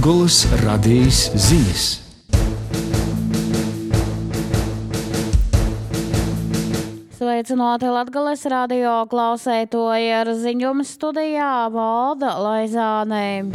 Latgolas radijas ziņas. Sveicināti Latgolas radio klausētoji, ar ziņumu studijā Valda Laizāne.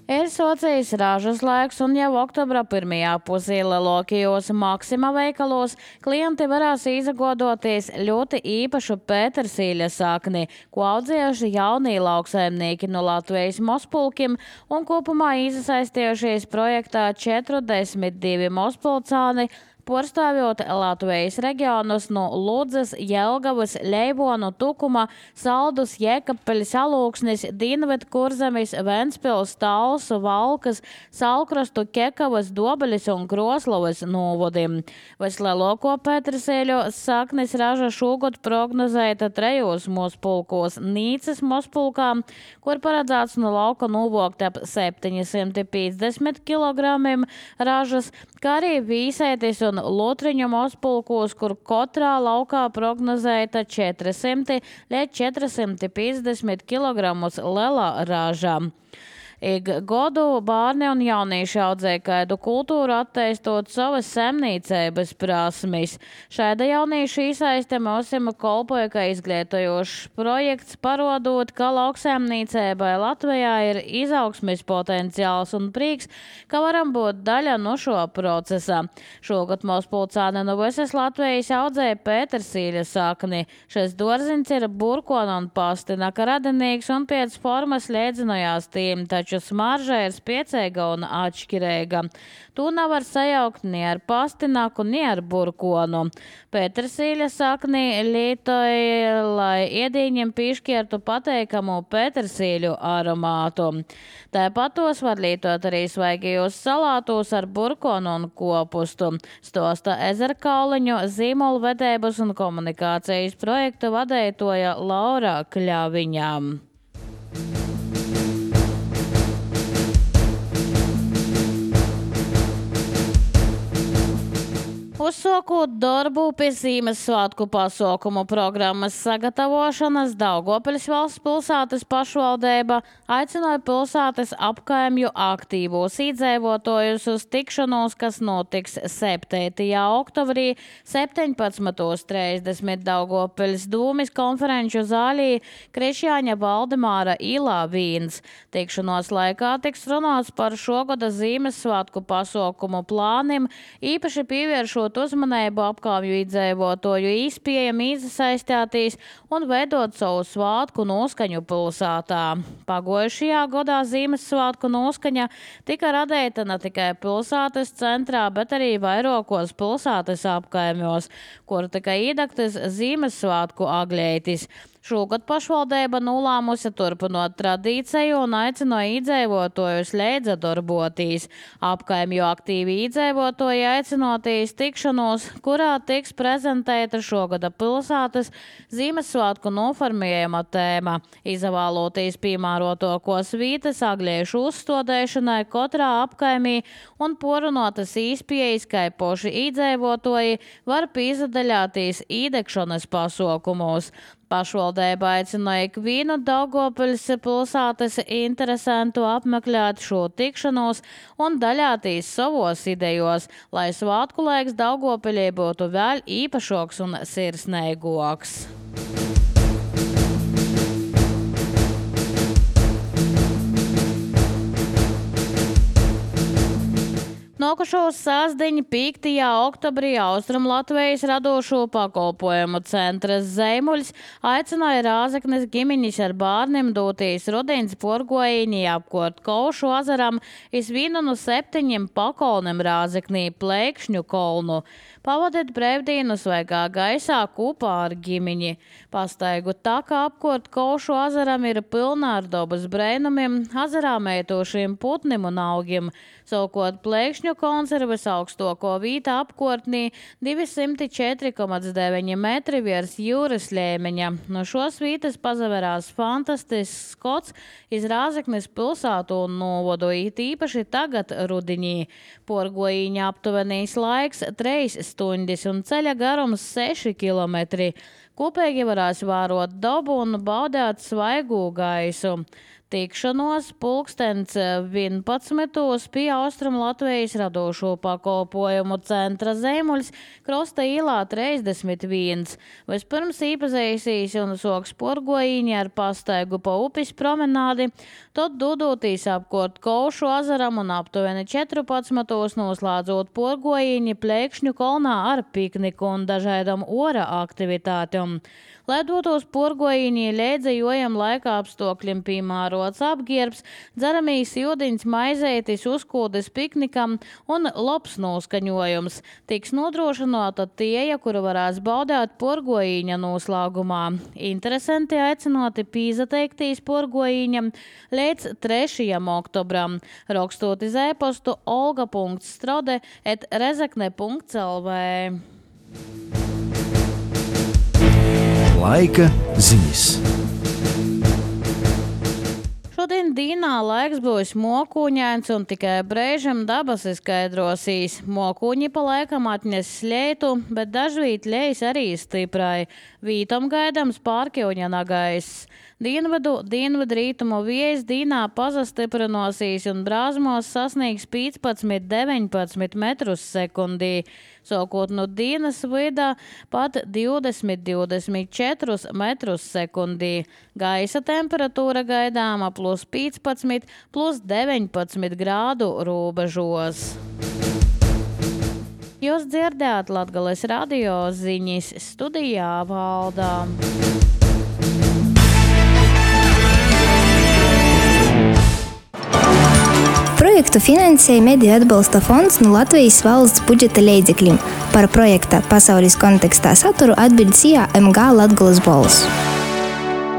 Ir socijas ražas laiks, un jau oktobra pirmajā pusē lielākajos Maksima veikalos klienti varēs izagodoties ļoti īpašu pētersīļa sakni, ko audzējuši jaunie lauksaimnieki no Latvijas Mospulkim, un kopumā iesaistījušies projektā 42 mospulcāni, porastāvjot Latvijas reģionus no Ludzas, Jelgavas, Leibonu, Tukuma, Saldus, Jēkapeļas, Alūksnis, Dienvidkurzemes, Ventspils, Talsu, Valkas, Salkrastu, Kekavas, Dobeļas un Kroslavas novodim. Vislielāko pētersēļu saknes raža šogad prognozēta 3 mospulkos – Nīcas mospulkā, kur paredzēts no lauka novokt ap 750 kg ražas, kā arī Vīsētis un Lotriņu mospulkos, kur katrā laukā prognozēta 400 līdz 450 kg lielā raža. Ik godu bērni un jaunieši audzē kaidu kultūru, attīstot savas saimniecības prasmes. Šāda jauniešu iesaiste mūsim kalpoja kā izglītojošs projekts, parodot, ka lauksaimniecībai Latvijā ir izaugsmes potenciāls un prieks, ka varam būt daļa no šo procesa. Šogad mospulcāni no visas Latvijas audzē pētersīļa sakni. Šis dārziņš ir burkona un pastinaka radinīgs un pēc formas līdzinājās tiem, taču smarža ir spiecīga un atšķirīga. To nevar sajaukt ni ar pastinaku, ni ar burkonu. Pētersīļa sakni lietoja, lai ēdieniem piešķirtu pateikamu pētersīļu aromātu. Tāpat tos var lietot arī svaigajos salātos ar burkonu un kopustu. Stosta Ezerkauliņu zīmolvedības un komunikācijas projektu vadītoja Laura Kļaviņa. Uzsākot darbu pie Ziemassvētku pasākumu programmas sagatavošanas, Daugavpils valsts pilsētas pašvaldība aicināja pilsētas apkaimju aktīvos iedzīvotājus uz tikšanos, kas notiks 7. oktobrī 17:30 Daugavpils Dūmis konferenču zālī Krišjāņa Valdemāra ielā 1. Tikšanos laikā tiks runāts par šogada Ziemassvētku pasākumu plāniem, īpaši pievēršot uzmanību apkārtņu iedzīvotāju īspējami iesaistīties un veidot savu svētku noskaņu pilsētā. Pagājušajā gadā Ziemassvētku noskaņa tika radīta ne tikai pilsētas centrā, bet arī vairākos pilsētas apkaimjos, kur tika iedegtas Ziemassvētku agļeitis. Šogad pašvaldība nolēmusi turpinot tradīciju un aicināja iedzīvotājus līdzdarbotīs. Apkaimju aktīvi iedzīvotāji aicināties tikšanos, kurā tiks prezentēta šogada pilsētas Ziemassvētku noformējuma tēma, izvēloties piemērotokos vietas agļiešu uzstādīšanai katrā apkaimī un porunātas īspējas, kā poši iedzīvotāji var piedalīties īdegšanas pasākumos. Pašvaldība aicināja ikvienu Daugavpils pilsētas interesantu apmeklēt šo tikšanos un daļāties savos idejos, lai svētku laiks Daugavpilī būtu vēl īpašoks un sirsnīgoks. Nākošo sastdiņu 5. oktobrī Austrumlatvijas radošo pakalpojumu centras Zeimuļs aicināja Rāzeknes ģimeņus ar bērniem doties rudens porgojiņī apkort Kaušu azaram iz vienu no 7 pakolniem Rāzeknī Plēkšņu kolnu. Pavadiet brīvdienu svaigā gaisā kopā ar ģimeņi. Pastaigu taka apkort Kaušu azaram ir pilna ar dabas brēnumiem, azarā mētošiem putnim un augiem. Savukārt Plēkšņu konservas augstoko vīta apkortnī 204,9 metri virs jūras līmeņa. No šos vītas pazaverās fantastisks skots iz Rāzeknes pilsētu un novodu, it īpaši tagad rudiņī. Porgojiņa aptuvenīs laiks 3 stundas un ceļa garums 6 kilometri. Kopīgi varēs vērot dabu un baudēt svaigu gaisu. Tikšanos 11. pie Austrum Latvijas radošo pakalpojumu centra Zemuļs Krosta īlā 31. Vispirms iepazīstīs un soks porgoīņi ar pastaigu pa upes promenādi, tad dodotīs apkort Kaušu azaram un aptuveni 14. noslēdzot porgoīņi Plēkšņu kolnā ar pikniku un dažādam ora aktivitātiem. Lai dotos porgoīņi līdzējojam laika apstākļiem piemērots apģērbs, dzeramīs ūdeņs, maizētis, uzkūdes piknikam un labs noskaņojums. Tiks nodrošināta tieja, kuru varēs baudēt porgoīņa noslēgumā. Interesanti aicināti pīzateiktīs porgoīņam līdz 3. oktobram. Rakstot iz e-pastu olga.strode@rezekne.lv. Laika ziņas. Šodien dienā laiks būs mokuņains un tikai brēžam dabas izskaidrosīs. Mokuņi pa laikam atnes slētu, bet dažvīt ļejas arī stiprai. Vītam gaidams pārkļuņana gaiss. Dienvidrītumu vējs dienā pazastiprinosīs un brāzmos sasniegs 15–19 metrus sekundī. Sākot no dienas vidā pat 20–24 metrus sekundī. Gaisa temperatūra gaidāma +15, +19 grādu robežos. Jūs dzirdējāt Latgales radio ziņas, studijā Valdā. Projektu finansēja Mediju atbalsta fonds no Latvijas valsts budžeta līdzekļiem. Par projekta pasaules kontekstā saturu atbild SIA MG Latgales balss.